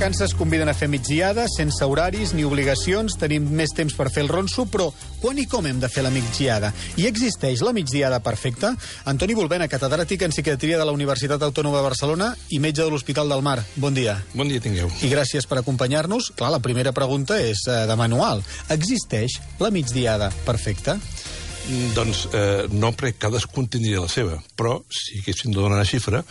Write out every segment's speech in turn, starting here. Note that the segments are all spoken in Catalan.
vacances conviden a fer migdiada, sense horaris ni obligacions, tenim més temps per fer el ronso, però quan i com hem de fer la migdiada? I existeix la migdiada perfecta? Antoni Bulbena, catedràtic en psiquiatria de la Universitat Autònoma de Barcelona i metge de l'Hospital del Mar. Bon dia. Bon dia tingueu. I gràcies per acompanyar-nos. Clar, la primera pregunta és de manual. Existeix la migdiada perfecta? Doncs no, perquè cadascun tindria la seva, però si haguéssim de donar una xifra,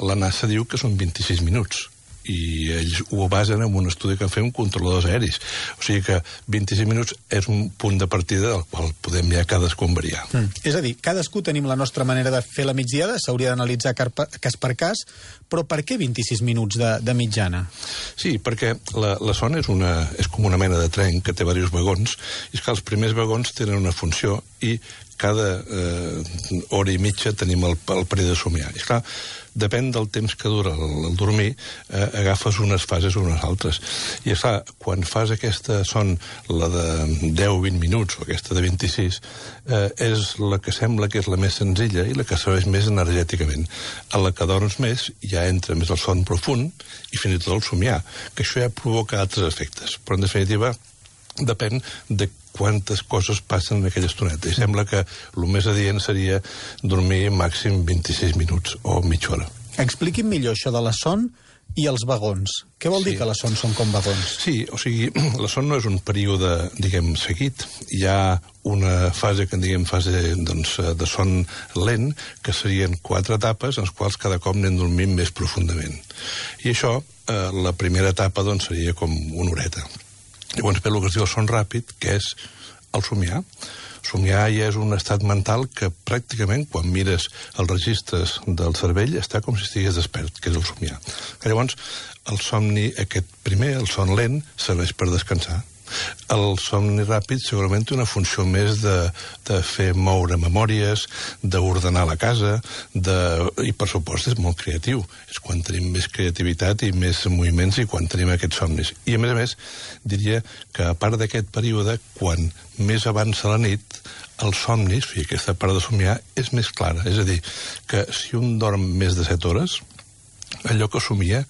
la NASA diu que són 26 minuts. I ells ho basen en un estudi que han fet amb controladors aeris. O sigui que 26 minuts és un punt de partida del qual podem ja cadascú variar. És a dir, cadascú tenim la nostra manera de fer la migdiada, s'hauria d'analitzar cas per cas, però per què 26 minuts de mitjana? Sí, perquè la son és com una mena de tren que té diversos vagons, i és que els primers vagons tenen una funció i cada hora i mitja tenim el període de somiar. I clar, depèn del temps que dura el dormir, agafes unes fases o unes altres. I esclar, quan fas aquesta son, la de 10-20 minuts, o aquesta de 26, és la que sembla que és la més senzilla i la que serveix més energèticament. A la que dorms més, ja entra més el son profund i fins i tot el somiar, que això ja provoca altres efectes. Però, en definitiva, depèn de quantes coses passen en aquella estoneta. I sembla que el més adient seria dormir màxim 26 minuts o mitja hora. Expliqui'm millor això de la son i els vagons. Què vol dir que la son són com vagons? Sí, o sigui, la son no és un període, diguem, seguit. Hi ha una fase que en diguem fase de son lent, que serien 4 etapes en les quals cada cop anem dormint més profundament. I això, la primera etapa, seria com una horeta. Llavors ve el que es diu el son ràpid, que és el somiar. Somiar ja és un estat mental que pràcticament, quan mires els registres del cervell, està com si estigués despert, que és el somiar. Llavors, el somni aquest primer, el son lent, serveix per descansar. El somni ràpid segurament té una funció més de fer moure memòries, d'ordenar la casa, i per supost és molt creatiu. És quan tenim més creativitat i més moviments i quan tenim aquests somnis. I a més, diria que a part d'aquest període, quan més avança la nit, els somnis, i aquesta part de somiar, és més clara. És a dir, que si un dorm més de 7 hores, allò que somia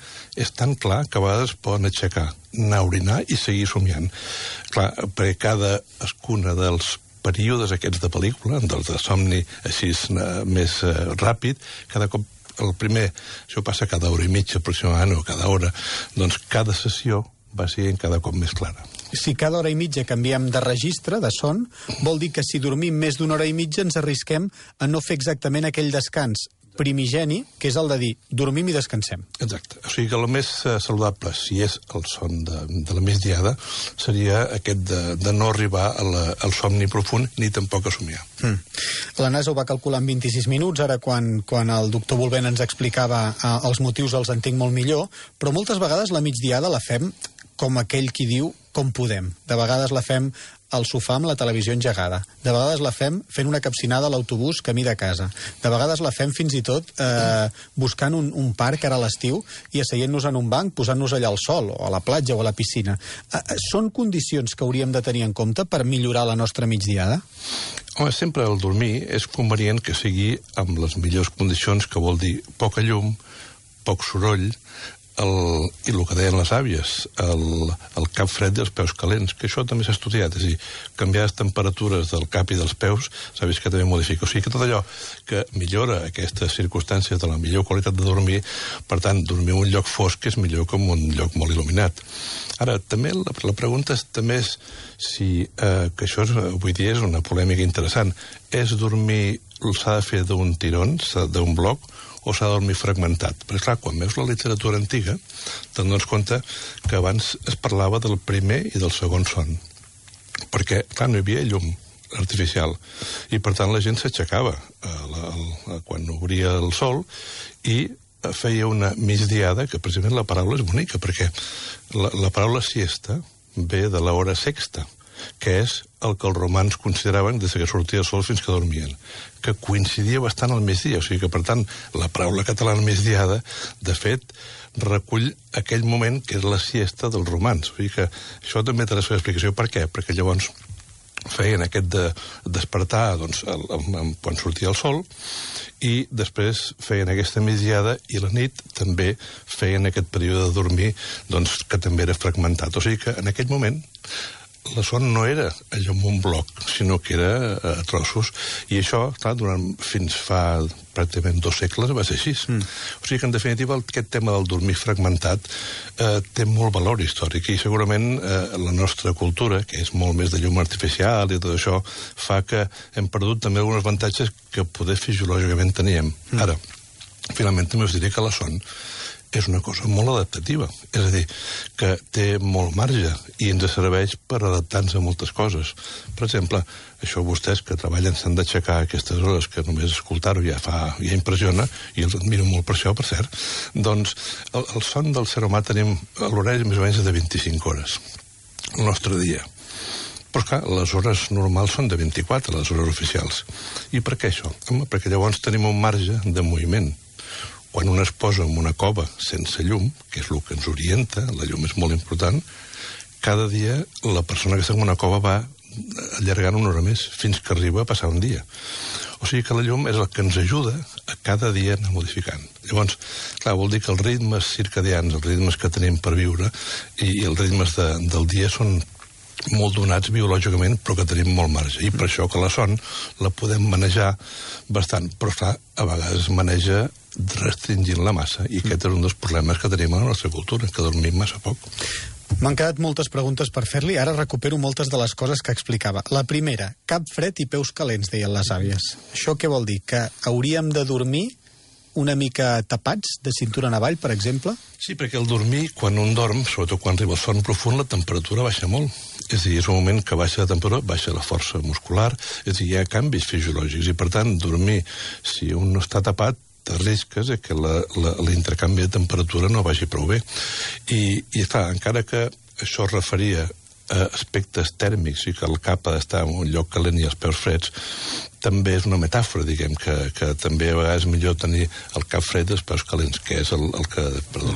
és tan clar que a vegades poden aixecar, anar a orinar i seguir somiant. Clar, perquè cadascuna dels períodes aquests de pel·lícula, dels de somni així més ràpid, cada cop el primer, això passa cada hora i mitja aproximadament, o cada hora, doncs cada sessió va sent cada cop més clara. Si cada hora i mitja canviem de registre, de son, vol dir que si dormim més d'una hora i mitja ens arrisquem a no fer exactament aquell descans primigeni, que és el de dir, dormim i descansem. Exacte. O sigui que el més saludable, si és el son de la migdiada, seria aquest de no arribar al somni profund ni tampoc a somiar. La NASA ho va calcular en 26 minuts, ara quan el doctor Bulbena ens explicava els motius els entenc molt millor, però moltes vegades la migdiada la fem com aquell qui diu com podem. De vegades la fem al sofà amb la televisió engegada. De vegades la fem fent una capcinada a l'autobús camí de casa. De vegades la fem fins i tot buscant un parc ara a l'estiu i asseient-nos en un banc, posant-nos allà al sol, o a la platja o a la piscina. Són condicions que hauríem de tenir en compte per millorar la nostra migdiada? Home, sempre el dormir és convenient que sigui amb les millors condicions, que vol dir poca llum, poc soroll, i el que deien les àvies, el cap fred i els peus calents, que això també s'ha estudiat, és a dir, canviar les temperatures del cap i dels peus, s'ha vist que també modifica. O sigui que tot allò que millora aquestes circumstàncies de la millor qualitat de dormir, per tant, dormir en un lloc fosc és millor que en un lloc molt il·luminat. Ara, també la pregunta també és si, que això avui dia és una polèmica interessant, és dormir, s'ha de fer d'un tirón, d'un bloc, o s'ha de dormir fragmentat. Perquè, clar, quan veus la literatura antiga, te'n dones compte que abans es parlava del primer i del segon son. Perquè, clar, no hi havia llum artificial. I, per tant, la gent s'aixecava quan obria el sol i feia una migdiada, que precisament la paraula és bonica, perquè la paraula siesta ve de l'hora sexta, que és el que els romans consideraven des que sortia el sol fins que dormien, que coincidia bastant al migdia. O sigui que, per tant, la paraula catalana migdiada, de fet, recull aquell moment que és la siesta dels romans. O sigui que això també té la seva explicació. Per què? Perquè llavors feien aquest de despertar quan sortia el sol, i després feien aquesta migdiada, i la nit també feien aquest període de dormir que també era fragmentat. O sigui que en aquell moment la son no era allò en un bloc, sinó que era a trossos, i això, clar, fins fa pràcticament 2 segles va ser així. O sigui que, en definitiva, aquest tema del dormir fragmentat té molt valor històric, i segurament la nostra cultura, que és molt més de llum artificial i tot això, fa que hem perdut també alguns avantatges que poder fisiològicament teníem. Ara, finalment també us diré que la son és una cosa molt adaptativa, és a dir, que té molt marge i ens serveix per adaptar-nos a moltes coses. Per exemple, això vostès que treballen s'han d'aixecar a aquestes hores, que només escoltar-ho ja impressiona, i els admiro molt per això, per cert. Doncs el son del ser humà tenim l'horari més o menys de 25 hores, el nostre dia. Però, clar, les hores normals són de 24, les hores oficials. I per què això? Home, perquè llavors tenim un marge de moviment. Quan un es posa en una cova sense llum, que és el que ens orienta, la llum és molt important, cada dia la persona que està en una cova va allargant una hora més, fins que arriba a passar un dia. O sigui que la llum és el que ens ajuda a cada dia anar modificant. Llavors, clar, vol dir que els ritmes circadians, els ritmes que tenim per viure, i els ritmes del dia són molt donats biològicament, però que tenim molt marge. I per això que la son la podem manejar bastant. Però, clar, a vegades maneja restringint-la massa, i aquest és un dels problemes que tenim a la nostra cultura, que dormim massa poc. M'han quedat moltes preguntes per fer-li, ara recupero moltes de les coses que explicava. La primera, cap fred i peus calents, deien les àvies. Això què vol dir? Que hauríem de dormir una mica tapats, de cintura en avall, per exemple? Sí, perquè el dormir, quan un dorm, sobretot quan arriba el son profund, la temperatura baixa molt. És a dir, és un moment que baixa la temperatura, baixa la força muscular, és a dir, hi ha canvis fisiològics, i per tant, dormir, si un no està tapat, risques que l'intercanvi de temperatura no vagi prou bé. I clar, encara que això es referia a aspectes tèrmics i que el cap ha d'estar en un lloc calent i els peus freds, també és una metàfora, diguem, que també a vegades és millor tenir el cap fred i els peus calents, que és el que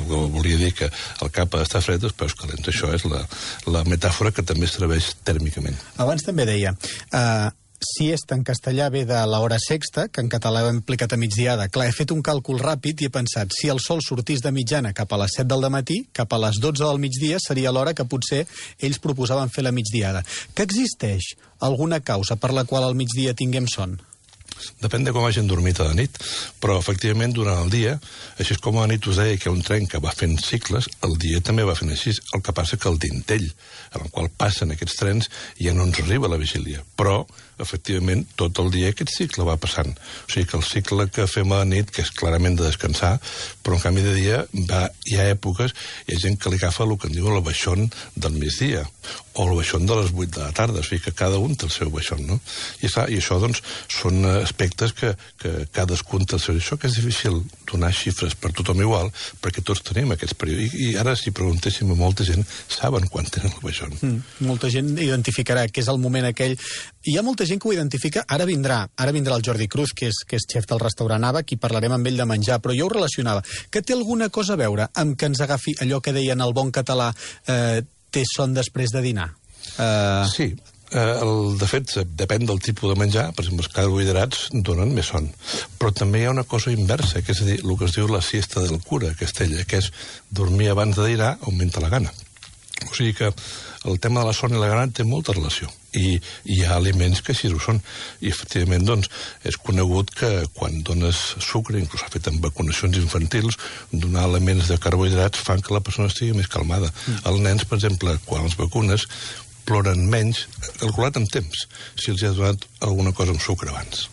volia dir, que el cap ha d'estar fred i els peus calents. Això és la metàfora que també serveix tèrmicament. Abans també deia, siesta en castellà ve de l'hora sexta, que en català ho hem aplicat a migdiada. Clar, he fet un càlcul ràpid i he pensat, si el sol sortís de mitjana cap a les 7 del matí, cap a les 12 del migdia seria l'hora que potser ells proposaven fer la migdiada. Que existeix alguna causa per la qual al migdia tinguem son? Depèn de com hagin dormit a la nit, però efectivament durant el dia, així com a la nit us deia que hi ha un tren que va fent cicles, el dia també va fent així. El que passa que el dintell en el qual passen aquests trens ja no ens arriba a la vigília, però efectivament tot el dia aquest cicle va passant. O sigui que el cicle que fem a la nit, que és clarament de descansar, però en canvi de dia hi ha èpoques, hi ha gent que li agafa el que en diu el baixón del migdia, o el baixón de les 8 de la tarda, o sigui que cada un té el seu baixón, no? I això, doncs, són aspectes que cadascun té el seu. Això que és difícil donar xifres per tothom igual, perquè tots tenim aquests períodes. I ara, si preguntéssim a molta gent, saben quan tenen el baixón. Molta gent identificarà que és el moment aquell. Hi ha molta gent que ho identifica. Ara vindrà el Jordi Cruz, que és xef del restaurant Ava, qui parlarem amb ell de menjar, però jo ho relacionava. Que té alguna cosa a veure amb que ens agafi allò que deien el bon català, té son després de dinar? Sí. De fet, depèn del tipus de menjar. Per exemple, els carbohidrats donen més son. Però també hi ha una cosa inversa, que és a dir, el que es diu la siesta del cura a Castella, que és dormir abans de dinar augmenta la gana. O sigui que el tema de la son i la gana té molta relació. I hi ha aliments que així ho són. I, efectivament, doncs, és conegut que quan dones sucre, inclús s'ha fet en vacunacions infantils, donar elements de carbohidrats fan que la persona estigui més calmada. Els nens, per exemple, quan els vacunes, ploren menys, calculat amb temps, si els ha donat alguna cosa amb sucre abans.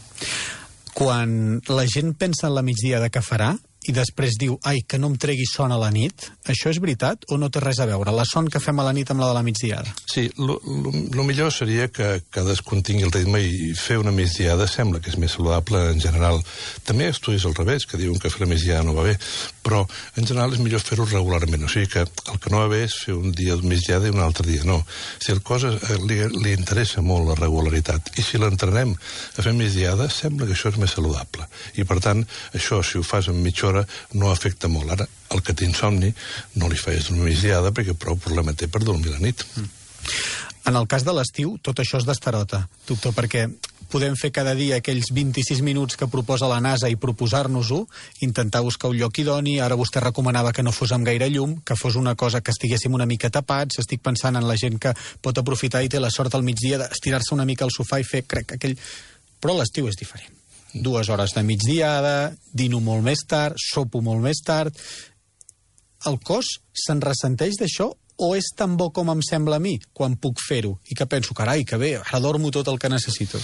Quan la gent pensa en la migdiada que farà i després diu, ai, que no em tregui son a la nit, això és veritat o no té res a veure? La son que fem a la nit amb la de la migdiada? Sí, el millor seria que cadascun tingui el ritme i fer una migdiada sembla que és més saludable en general. També hi ha estudis al revés, que diuen que fer la migdiada no va bé, però en general és millor fer-ho regularment. O sigui que el que no va bé és fer un dia de migdiada i un altre dia no. Si el cos li interessa molt la regularitat i si l'entrenem a fer migdiada sembla que això és més saludable. I per tant, això, si ho fas en mitja hora, no afecta molt. Ara, el que té insomni no li facis dormir migdiada perquè prou problema té per dormir la nit. En el cas de l'estiu, tot això és d'estarota, doctor, perquè podem fer cada dia aquells 26 minuts que proposa la NASA i proposar-nos-ho, intentar buscar un lloc idoni. Ara vostè recomanava que no fos amb gaire llum, que fos una cosa que estiguéssim una mica tapats. Estic pensant en la gent que pot aprofitar i té la sort al migdia d'estirar-se una mica al sofà i fer, crec, aquell... Però l'estiu és diferent. 2 hores de migdiada, dino molt més tard, sopo molt més tard... El cos se'n ressenteix d'això o és tan bo com em sembla a mi quan puc fer-ho? I que penso, carai, que bé, ara dormo tot el que necessito.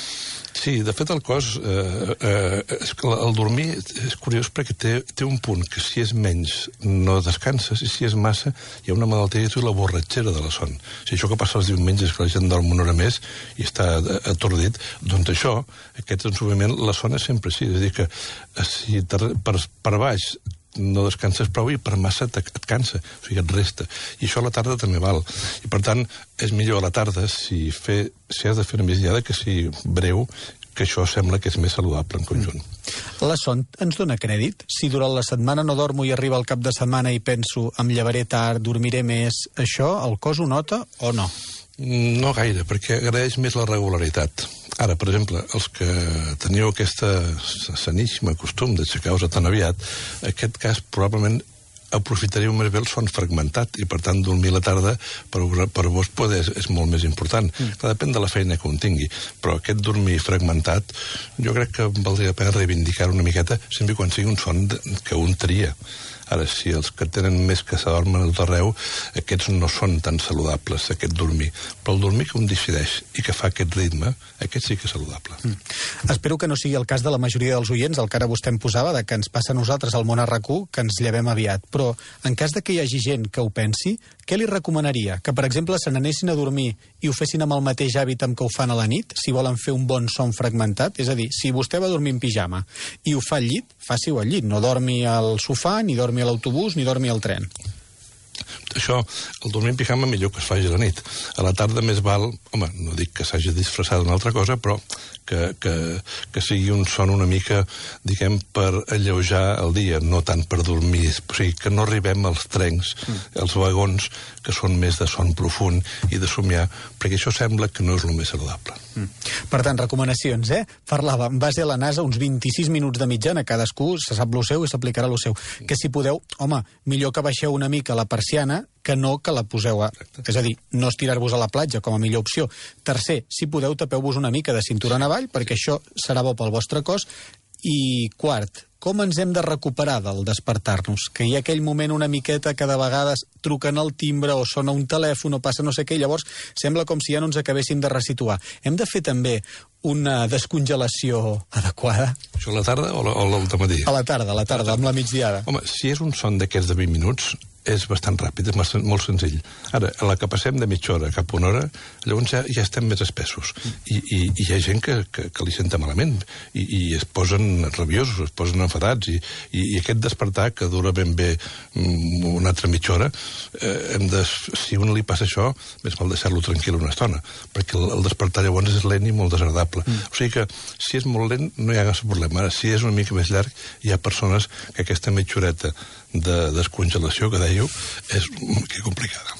Sí, de fet el cos, el dormir és curiós perquè té un punt que si és menys no descanses i si és massa hi ha una malaltia que diu la borratxera de la son. Si això que passa els diumenges que la gent dorm una hora més i està atordit, doncs això, aquest ensumiment, la son és sempre així. És a dir que si per baix no descanses prou i per massa et cansa, o sigui, et resta. I això a la tarda també val. I per tant, és millor a la tarda si has de fer una migdiada que si breu, que això sembla que és més saludable en conjunt. La son ens dona crèdit? Si durant la setmana no dormo i arriba el cap de setmana i penso em llevaré tard, dormiré més, això el cos ho nota o no? No gaire, perquè agraeix més la regularitat. Ara, per exemple, els que teniu aquesta saníssima costum d'aixecar-vos tan aviat, en aquest cas probablement aprofitaríeu més bé el son fragmentat i, per tant, dormir a la tarda per vos és molt més important. Depèn de la feina que un tingui, però aquest dormir fragmentat jo crec que valdria la pena reivindicar una miqueta sempre quan sigui un son que un tria. Ara, si els que tenen més que s'adormen a tot arreu, aquests no són tan saludables, aquest dormir. Però el dormir que un decideix i que fa aquest ritme, aquest sí que és saludable. Espero que no sigui el cas de la majoria dels oients, el que ara vostè em posava, de que ens passa a nosaltres al món a RAC1, que ens llevem aviat. Però, en cas de que hi hagi gent que ho pensi, què li recomanaria? Que, per exemple, se n'anessin a dormir i ho fessin amb el mateix hàbit amb què ho fan a la nit, si volen fer un bon son fragmentat? És a dir, si vostè va dormir en pijama i ho fa al llit, faci-ho al llit. No dormi al sofà, ni dormi a l'autobús, ni dormi al tren. Això, el dormir en pijama millor que es faci a la nit. A la tarda més val, home, no dic que s'hagi disfressat d'una altra cosa, però que sigui un son una mica, diguem, per alleujar el dia, no tant per dormir. O sigui, que no arribem als trens, als vagons, que són més de son profund i de somiar, perquè això sembla que no és el més saludable. Per tant, recomanacions, Parlava, en base a la NASA, uns 26 minuts de mitjana, cadascú se sap lo seu i s'aplicarà lo seu. Que si podeu, home, millor que baixeu una mica la persiana que no que la poseu a... És a dir, no estirar-vos a la platja com a millor opció. Tercer, si podeu, tapeu-vos una mica de cintura en avall, perquè això serà bo pel vostre cos. I quart, com ens hem de recuperar del despertar-nos? Que hi ha aquell moment una miqueta que de vegades truquen al timbre o sona un telèfon o passa no sé què, llavors sembla com si ja no ens acabéssim de resituar. Hem de fer també una descongelació adequada? Això a la tarda o al matí? A la tarda, amb la migdiada. Home, si és un son d'aquests de 20 minuts, és bastant ràpid, és molt senzill. Ara, a la que passem de mitja hora cap a una hora, llavors ja estem més espessos. I hi ha gent que li senta malament i es posen rabiosos, es posen enfadats i aquest despertar que dura ben bé una altra mitja hora, si a un li passa això, més val deixar-lo tranquil una estona, perquè el despertar llavors és lent i molt desagradable. O sigui que si és molt lent no hi ha cap problema. Ara, si és una mica més llarg, hi ha persones que aquesta mitja horeta de descongelació que dèieu és complicada.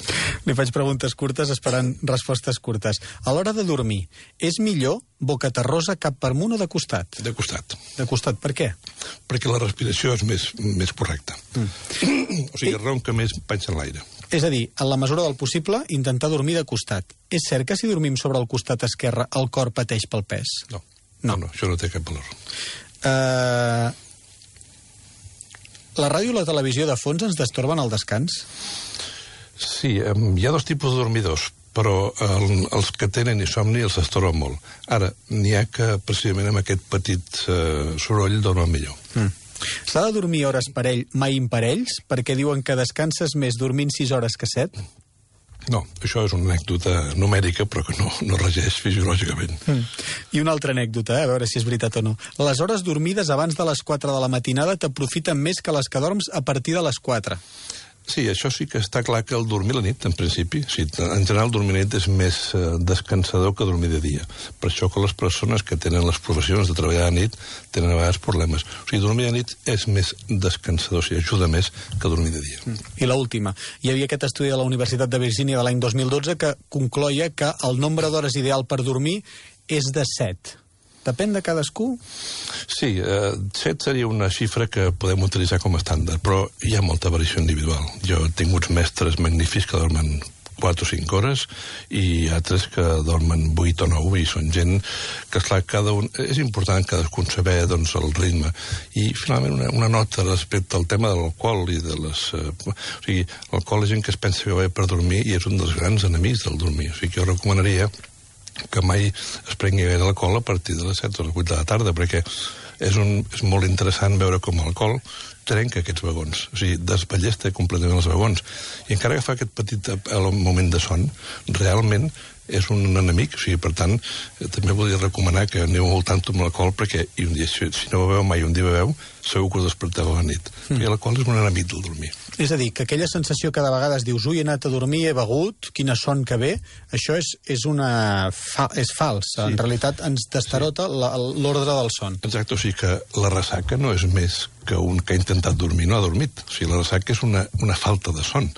Li faig preguntes curtes esperant respostes curtes. A l'hora de dormir, és millor boca terrosa, cap per amunt o de costat? De costat. De costat, per què? Perquè la respiració és més correcta. O sigui, ronca més panxa en l'aire. És a dir, en la mesura del possible, intentar dormir de costat. És cert que si dormim sobre el costat esquerre el cor pateix pel pes? No, això no té cap valor. La ràdio i la televisió de fons ens destorben el descans? Sí, hi ha dos tipus de dormidors, però els que tenen insomni els destorben molt. Ara, n'hi ha que precisament amb aquest petit soroll dormen millor. S'ha de dormir hores parell, mai imparells, perquè diuen que descanses més dormint 6 hores que 7? No, això és una anècdota numèrica, però que no regeix fisiològicament. I una altra anècdota, a veure si és veritat o no. Les hores dormides abans de les 4 de la matinada t'aprofiten més que les que dorms a partir de les 4. Sí, això sí que està clar que el dormir la nit, en principi, sí, en general dormir la nit és més descansador que dormir de dia. Per això que les persones que tenen les professions de treballar de nit tenen a vegades problemes. O sigui, dormir de nit és més descansador, o sigui, ajuda més que dormir de dia. I l'última. Hi havia aquest estudi de la Universitat de Virgínia de l'any 2012 que concloia que el nombre d'hores ideal per dormir és de 7. Depèn de cadascú? Sí, 7 seria una xifra que podem utilitzar com a estàndard, però hi ha molta variació individual. Jo he tingut mestres magnífics que dormen 4 o 5 hores i altres que dormen 8 o 9 i són gent que, esclar, és important cadascun saber doncs, el ritme. I finalment una nota respecte al tema de l'alcohol i de les... o sigui, l'alcohol és gent que es pensa que va bé per dormir i és un dels grans enemics del dormir. O sigui, jo recomanaria que mai es prengui gaire alcohol a partir de les 7 o les 8 de la tarda, perquè és molt interessant veure com l'alcohol trenca aquests vagons, o sigui, desballesta completament els vagons. I encara que fa aquest petit moment de son, realment és un enemic, o sigui, per tant, també volia recomanar que aneu al tanto amb l'alcohol, perquè i un dia, si no beveu mai, un dia beveu, segur que us desperteu a la nit. Perquè l'alcohol és un enemic del dormir. És a dir, que aquella sensació que de vegades dius ui, he anat a dormir, he begut, quina son que ve, això és fals. Sí. En realitat ens destarota l'ordre del son. Exacte, o sigui que la ressaca no és més que un que ha intentat dormir no ha dormit. O sigui, la ressaca és una falta de son,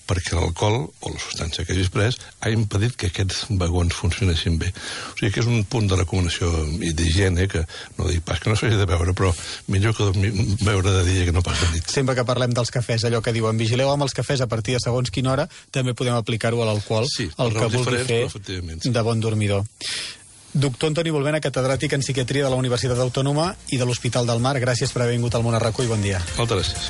perquè l'alcohol o la substància que hagis pres ha impedit que aquests vagons funcionessin bé. O sigui que és un punt de recomanació i d'higiene que no dic pas que no s'hagi de beure, però millor que beure de dia que no pas de nit. Sempre que parlem dels cafès, allò que diuen vigileu amb els cafès a partir de segons quina hora, també podem aplicar-ho a l'alcohol, sí, el que vulgui fer sí, de bon dormidor. Doctor Antoni Bolbena, catedràtic en psiquiatria de la Universitat Autònoma i de l'Hospital del Mar, gràcies per haver vingut al Món a RAC1 i bon dia. Moltes gràcies.